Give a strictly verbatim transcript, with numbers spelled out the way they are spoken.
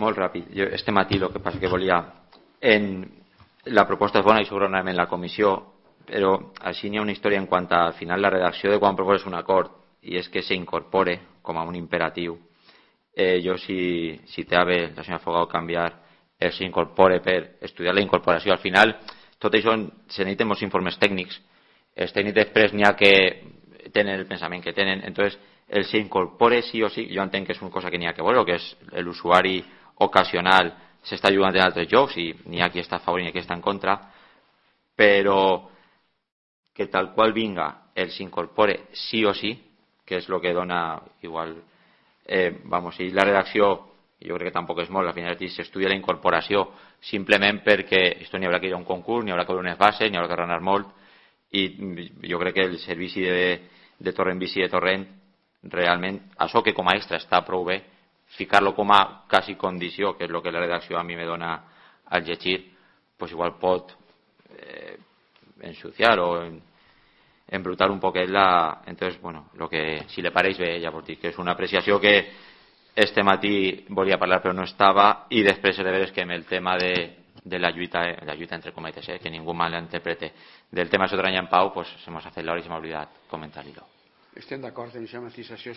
molt ràpid. Jo, este matí el que passa que volia... En, la proposta és bona i segurament en la comissió, però així n'hi ha una història en quant a, al final, la redacció de quan proposes un acord, i és que s'incorpore com a un imperatiu. Eh, jo, si, si té a bé la senyora Fogao canviar el s'incorpore per estudiar la incorporació, al final, tot això se necessiten molts informes tècnics. Els tècnics després n'hi ha que tenen el pensament que tenen, entonces el s'incorpore sí o sí, jo entenc que és una cosa que n'hi ha que veure, que és l'usuari ocasional s'està jugant en altres jocs i n'hi ha qui està a favor i n'hi ha qui està en contra, però que tal qual vinga el s'incorpore sí o sí, que és el que dona igual, eh, vamos, i la redacció jo crec que tampoc és molt, al final s'estudia la incorporació simplement perquè esto n'hi haurà que ir a un concurs, n'hi haurà que veure unes bases, n'hi haurà que ranar molt, i jo crec que el servici de, de torrent bici de torrent realment, això que com a extra està prou bé, ficar-lo com a quasi condició, que és el que la redacció a mi me dona al llegir, pues igual pot eh, ensuciar o en, embrutar un poquet la... Entonces, bueno, lo que, si le pareix bé, ja vos dic que és una apreciació que este matí volia parlar però no estava, i després he de veure que amb el tema de, de la lluita, la lluita entre cometes, eh, que ningú mal l'interprete, del tema de Sotranya en Pau, pues se m'ha fet l'hora i se m'ha oblidat comentar-li-lo. Estem d'acord en aquesta matisació.